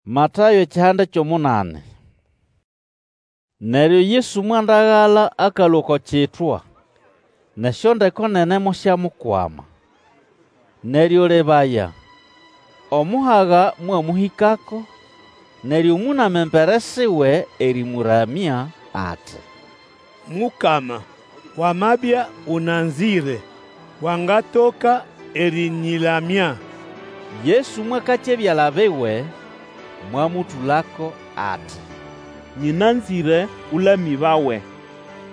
Matayo ekihanda ky'omunani. Neryo Yesu mwandagala akalũa oko kitwa, n'esyondeko nene mosyamukwama. Neryo lebaya, omuhaga mwamũhĩkako, neryo mũnama embere siwe erĩmũramya, ati, Mukama, wamabya ũnanzĩre, wangatoka erĩnyĩlamya. Yesu mwakakya ebyala biwe, mwamũtũlako ati, Nyĩnanzĩre, Ũlamĩbawe.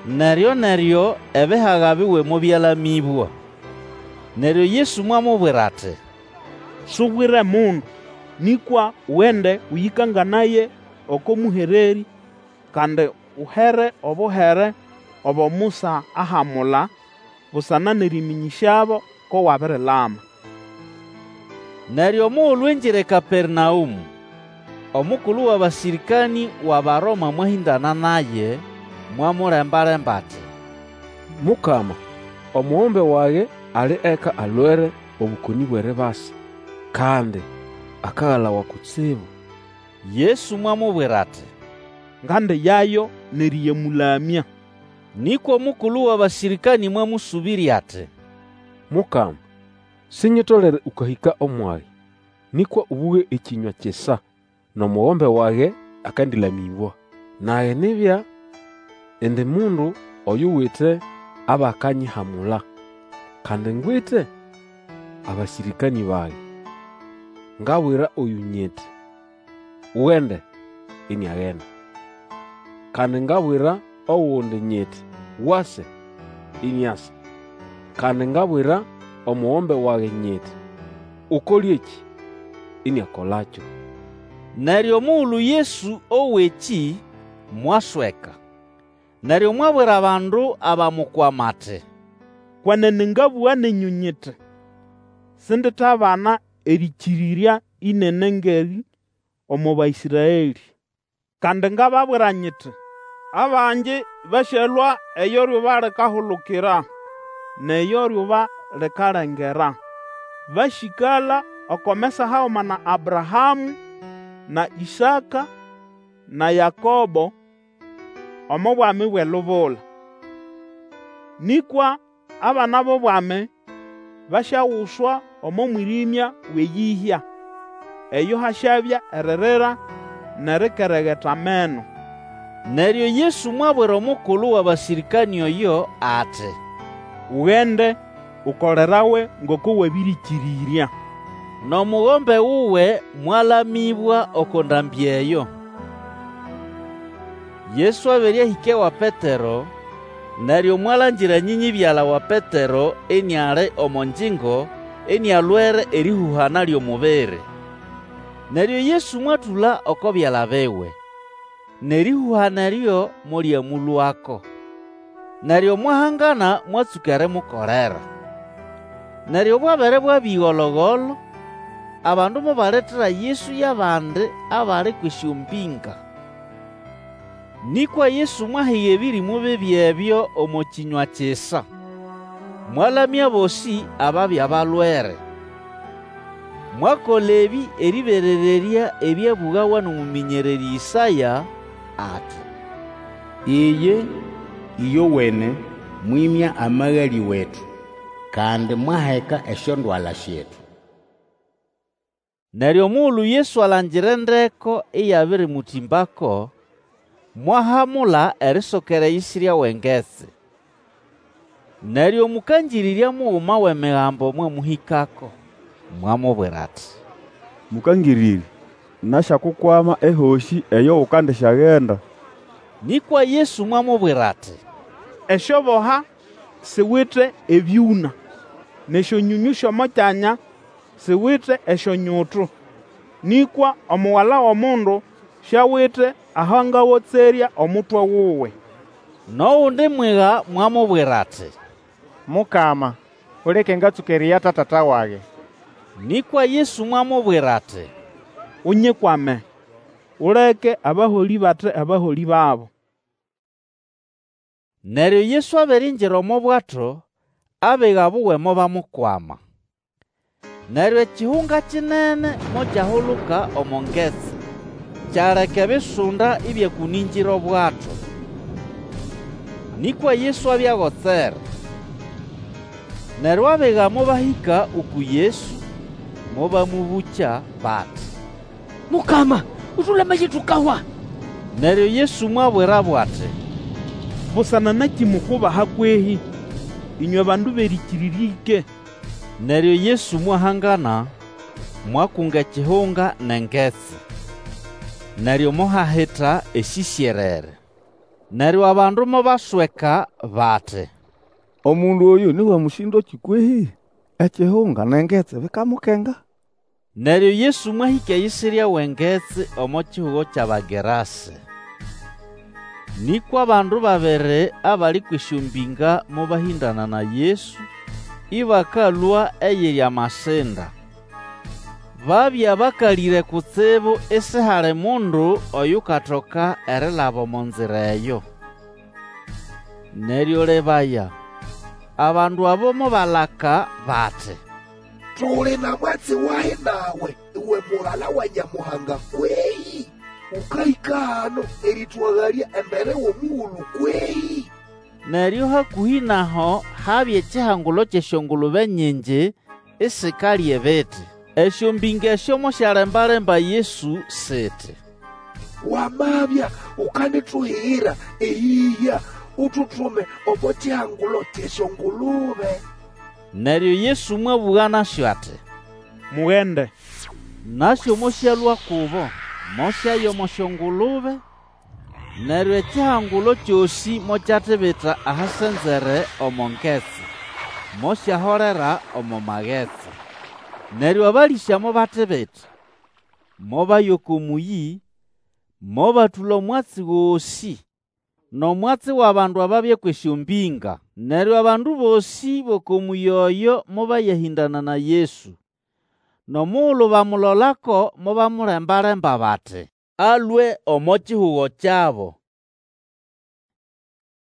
Neryo-neryo ebihaga biwe mobyalamĩbwa. Neryo Yesu mwamubwira ati, Subwire mundu, nĩkwa ugende ũyĩkanganaye oko mũhererĩ, kandi uhere obuhere obo Musa ahamula, busana n'erĩmĩnyĩsyabo ko wabirilama. Neryo omugulu ingira eKapernaũmũ, omukulu w'abasĩrĩkanĩ w'Abaroma mwahĩndana naye, mwamulemba-lemba ati, Mukama, omugombe wage ali eka alwere obũkonĩ bw'eribasa, kandi akagalawa kutsibu. Yesu mwamubwira ati, Ngandiyayo n'erĩyamũlamya. Nĩkwa omukulu w'abasĩrĩkanĩ mwamũsũbĩrya ati, Mukama, sinyitolere ũkahĩka omwage. Nĩkwa ũbũge ekĩnywa kisa, n'omugombe wage akandĩlamĩbwa. Nage nibya indi mundu oyuwite abakanyihamula, kandi ngwite abasĩrĩkanĩ bage. Ngabwira oyũ nyiti, Ugende, iniagenda; kandi ngabwira ogundi nyiti, Wase, iniasa. Kandi ngabwira omugombe wage nyiti, Ukole ekĩ, iniakolakyo. Neryo omugulu Yesu owa ekĩ, mwasweka. Neryo mwabwira abandu abamukwama ati, Kwenene ngabũga nenyũ nyiti, Sinditabana erĩkĩrĩrya ĩnene ng'erĩ omo Baĩsraelĩ. Kandi ngababwira nyiti, Abangi basyalũa eyo lyuba likahulukira, n'eyo lyuba likalengera, basyĩkala oko mesa haguma na Abrahamũ, na Ĩsaka, na Yakobo, omo Bwami bw'elubula. Nĩkwa abana b'obwami basyaguswa omo mwĩrĩmya w'eyĩhya, eyo hasyabya eririra n'erikeregeta ameno. Neryo Yesu mwabwira omukulu w'abasĩrĩkanĩ oyo ati, Ugende, ukolerawe ngoko wabĩrĩkĩrĩrya. N'omugombe wuwe mwalamĩbwa oko ndambĩ eyo. Yesu abere ahĩka ewa Petero, neryo mwalangira nyĩnyĩbyala wa Petero iniali omo ngyingo inialwere erĩhũhana ly'omubiri. Neryo Yesu mwatũla oko byala biwe, n'erĩhũhana eryo molyamũlũako. Neryo mwahangana mwatsũka erimukolera. Neryo bwabere bwabya ĩgolo-golo, abandu mobaletera Yesu y'abandi abali kw'esyombĩnga. Nĩkwa Yesu mwahiga ebĩrĩmũ bibi ebyo omo kĩnywa kisa, mwalamya abosĩ ababya balwere. Mwakola ebĩ erĩberererya ebyabũgawa n'omũmĩnyererĩ Ĩsaya ati, Iye ĩyowene mwĩmya amagalĩ wetu, Kandi mwaheka esyondwala syetu. Neryo omugulu Yesu alangira endeko iyabirimũtĩmbako, mwahamula erisokera eyisirya w'engetsi. Neryo omũkangĩrĩrya muguma w'Emigambo mwamũhĩkako, mwamubwira ati, Mũkangĩrĩrya, nasyakukwama ehosĩ eyo ukandisyagenda. Nĩkwa Yesu mwamubwira ati, Esyoboha siwite ebyũna, n'esyonyonyũ sy'omo kyanya siwite esyonyutu, nĩkwa Omugala w'Omundu siawite aho angagotserya omutwe wuwe. N'ogundi mwiga mwamubwira ati, Mukama, uleke ngatsũke eriyata tata wage. Nĩkwa Yesu mwamubwira ati, Unyikwame, uleke abaholĩ bate abaholĩ babo. Neryo Yesu abere ingira omo bwato, abiga buwe mobamukwama. Neryo ekihunga kinene mokyahuluka omo ngetsi. Kyaleka ebisunda ĩbyakũnĩngĩra obwato. Nĩkwa Yesu abya agotsere. Neryo abiga mobahĩka uku Yesu, mobamũbũkya bati, Mukama, Ũtũlamaye tukahwa! Neryo Yesu mwabwirabo ati, Busana nakĩ mukubaha kwehĩ, ĩnywe bandu b'erĩkĩrĩrya ĩke? Neryo Yesu mwahangana, mwakunga ekihunga n'engetsi. Neryo mohahita esĩsyerere. Neryo abandu mobasweka bati, Omundu oyũ ni w'emũsĩndo-kĩ kwehĩ? Ekihunga n'engetsi bikamukenga. Neryo Yesu mwahĩka eyisirya w'engetsi omo kihugo ky'Abagerase. Nĩkwa abandu babiri abali kw'esyombĩnga mobahĩndana na Yesu, ĩbakalũa eyiri amasinda. Babya bakalĩre kutsibu isihali mundu oyukatoka erilaba omo nzira eyo. Neryo lebaya, abandu abo mobalaka bati, Tuli na mwatsi wahi nawe, uwe Mugala wa Nyamuhanga kwehĩ? Ũkahĩka hano erĩtũagalya embere w'omugulu kwehĩ? Neryo hakũhĩ n'aho habya ekihangulo ky'esyongulube nyingi isikalya ebiti. Esyombĩnga esyo mosyalemba-lemba Yesu siti, Wamabya ukandituhigira eyĩhya, ututume omo kihangulo ky'esyongulube. Neryo Yesu mwabũga nasyo ati, Mugende. Nasyo mosyalũa kubo, mosyaya omo syongulube. Neryo ekihangulo kyosĩ mokyatibita ahasenzere omo ngetsi, mosyaholera omo magetsi. Neryo abalĩsya mobatibita, mobaya oko mũyĩ, mobatũla omwatsi gosĩ, n'omwatsi w'abandu ababya kw'esyombĩnga. Neryo abandu bosĩ b'oko mũyĩ oyo mobayahĩndana na Yesu. N'omugulu bamulolako mobamulemba-lemba bati, alũe omo kihugo kyabo.